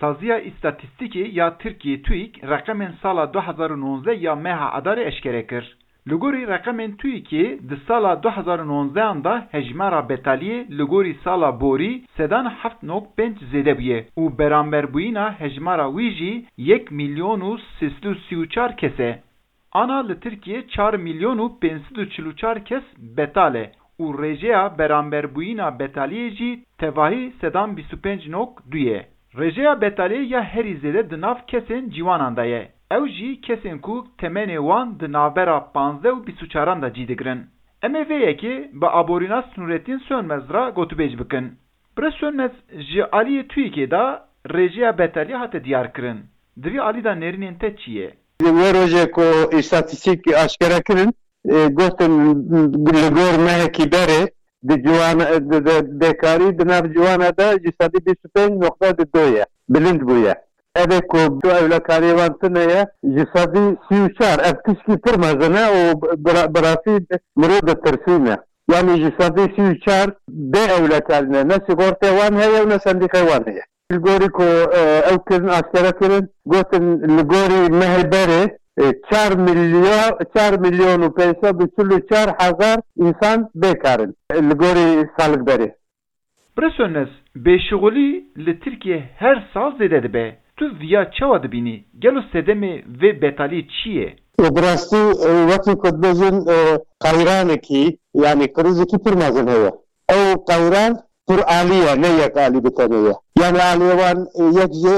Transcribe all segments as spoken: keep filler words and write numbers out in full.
Saziya Îstatîstîkê ya Tirkiyê, TÜİK, reqemên sala du hezar û nonzdeh ya meha Adarê eşkere kir. Li gorî reqemên TÜİKê, di sala du hezar û nonzdehan de hejmara betaliyê li gorî sala borî sedan heft nokta pênc zêde bûye û beramberbûyîna hejmara wî jî yek milyon û sê sed û sî û çar kes e. Ana li Tirkiyê çar milyon û pênc sed û çil û çar kes betal e û rêjeya beramberbûyîna betaliyê jî tevahî sedan bîst û pênc nokta du ye. Rêjeya betaliyê ya herî zêde di nav kesên ciwanan de ye. Ew jî kesên ku temenê wan di navbera panzdeh û bîst û çaran de cî digirin. Em ê vê yekê bi aborînas Nûretîn Sönmez re gotûbêj bikin. Birêz Sönmez, ji aliyê TÜİKê de rêjeya betaliyê hate diyarkirin. Di vî alî de nêrînên te çi ye? Wê rojê ku îstatîstîk aşkere kirin, e, gotin li gor mehekî berê di ciwan, di, di, bêkarî di nav ciwana de ji sedî bîst û pênc noqta du ye. Bilind bûye. Ev ê ku tu ewlekariyê wan tune ye, ji sedî sî û çar, ev tişkî pir mezin e û bi ra-, bi rastî mirov ditirsîne. Yanî ji sedî sî û çar bê ewlekarî ne, ne sîgortê wan heye û ne sendîqê wan heye. Li gorî ku, e, ew kirin aşkere kirin, gotin li gorî mehê berê, e, çar milyon, çar milyon û pênc sed û çil û çar hezar însan bêkar in, e, li gorî salik berê. Birêz Sönmez, bêşixulî li Tirkiye her sal zêde dibe. Tu viya çawa dibînî? Gelo sedemê vê betaliyê çi ye? E, bi rastî, e, wekî ku dibêjin, e, qeyranekî, yanî krîzekî pir mezin heye. Ew qeyran pir alî ye, ne yek alî bi tenê ye. Yanî aliyê wan, e, yek jê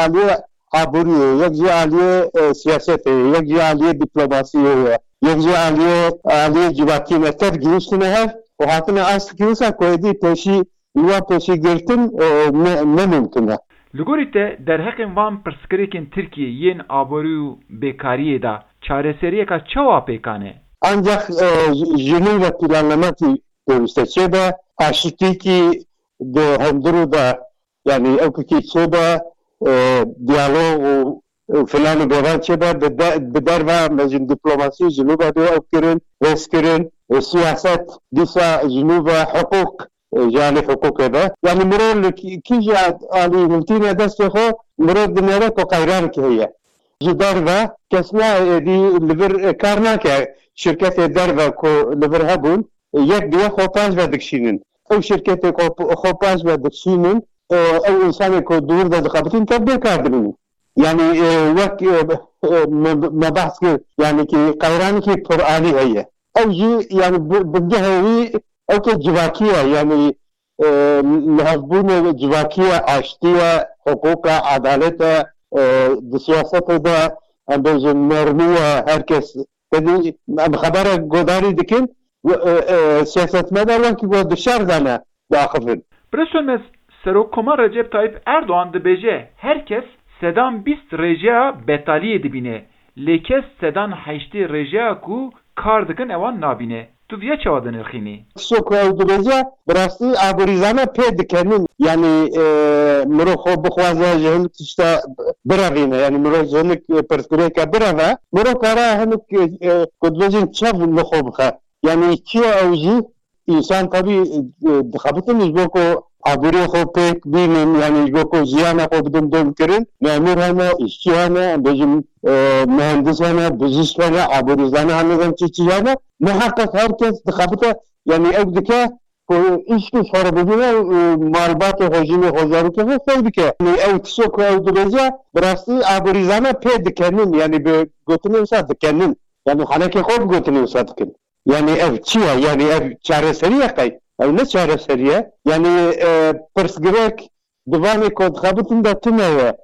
aliyê aboriyê, yek jê aliyê, e, siyasetê, yek jê aliyê dîplomasiyê ye, yek jê aliyê, aliyê civakî ne, tev gihîştine hev û hatine astikî wisa ku êdî pêşî, li wan pêşî girtin, e, ne, ne mimkun e. Li gorî te derheqên van pirsgirêkên Tirkiyê yên aborî û bêkariyê de çareseriyeka çawa pêkan e? Ancak, e, ji, ji nû ve planlemekî pêwîste çêbe, aşitîkî di hundirû de, yanî ewkekî çêbe, e, diyalog û, û filan û bêvan çêbe, bi de-, bi derve, mejin dîplomasî ji nû ve dê ew kirin, rêz kirin, e, siyaset, dîsa ji nû ve hiqûq, e, ji alî hiqûqê ve. Yanî mirov li kî-, kî jî alî hiltîne destê xwe, mirov dinêre ku qeyranekî heye. Ji derve kes nayê êdî li vir, e, kar nake. Şirketê derve ku li vir hebûn, e, yek bi yek xwe paş ve dikişînin. Ew şirketê ku p-, xwe paş ve dikişînin, e, ew însanê ku dûr de dixebitin tev bêkar dimînin. Yanî, e, wek, e, e, me, me behs kir, yanî ki qeyranekî piralî heye. Ew jî, yanî bi, bingehê wî ew ke civakî ye, yanî e, lihevbûnê civakî ye, aştî ye, hiqûq e, edalet e, e, di siyasetê de, em bêjin, nermî ye, her kes, tevî em xebere godarî dikin, e, e, siyasetmedar wekî ku di şer de ne diaxivin. Birêz Sönmez, Serokkomar Recep Tayyip Erdoğan dibêje, her kes sedan bîst rêjeya betaliyê dibîne, lê kes sedan heştê rêjeya ku kar dikin ewan nabîne. Tu viya çawa dinirxînî? Tişto ku ew dibêje, bi rastî aborîzane pê dikenin. Yanî, e, mirov xwe bixwaze ji hinek tişta birevîne. Yanî mirov ji hinek, e, pirsgirêke bireve. Mirov kare hinek, e, e, ku dibêjin çev li xwe bixe. Yanî çi ye ew jî? Însan tevî, e, dixebitin ji bo ku aboriyê xwe pêk bînin, yanî ji bo ku jiyana xwe bidin domkirin. Memûr hene, îşçî hene, em bêjin, e, muhendis hene, bijîşk hene, aborîzane hene, zan çi çi hene. Miheqeq her kes dixebite, yanî ew dike ku îşkî ji xwe re bibîne û malbatê xwe, jinê xwe, zarokê xwe xew dike. Yanî ew tişto ku ew dibêje, bi rastî aborîzane pê dikenin, yanî bi gotinê wisa dikenin. Yanî henekê xwe bi gotinê wisa dikin. Yanî ev çi ye? Yanî ev çareserî ye qey? Ew ne çareserî ye. Yanî, e, pirsgirêk di vanê ku dixebitin de tune ye.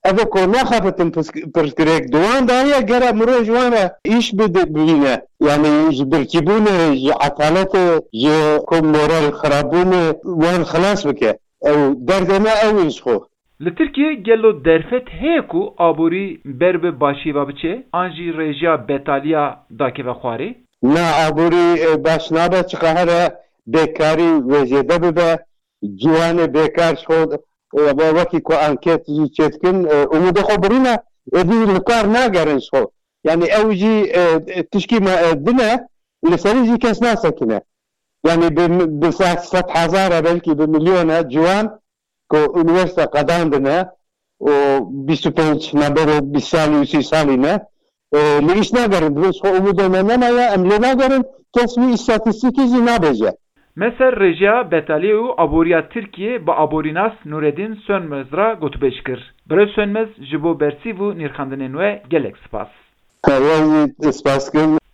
Ev ê ku naxebitin pirs-, pirsgirêk di wan de heye, gere mirov ji wan re îş bidi-, bibîne. Yanî ji birçîbûnê, ji etaletê, ji ku moral xirabûnê wan xilas bike. Ew derdê me ew in ji xwe. Li Tirkiyê gelo derfet heye ku aborî ber bi başiyê ve biçe, an jî rêjeya betaliya dakeve xwarê? Na, aborî, e, baş nabe, çiqa here bêkarî wê zêde bibe, ciwanê bêkar ji xwe, e, we-, wekî ku anket jî çêdikin, e, umûdê xwe birîne, êdî li kar nagerin ji xwe. Yanî ew jî, e, tişkî me, e, din e, li serî jî kes nasekine. Yanî bi, bi sed, sed hezar e, belkî bi milyon e ciwan ku unîversîte qedandine, û bîst û pênc me bero bîst salî û sî salî ne. E, li îş nagerin, dibin ji xwe umûdê me nemaye, em lê nagerin, kes wî îstatîstîkî jî nabêje. Me ser rêjeya betaliyê û aboriya Tirkiyê bi aborînas Nureddin Sönmez re gotûbêj kir. Birêz Sönmez, ji bo bersîv û nirxandinên we gelek spas. Heya jî spas kim.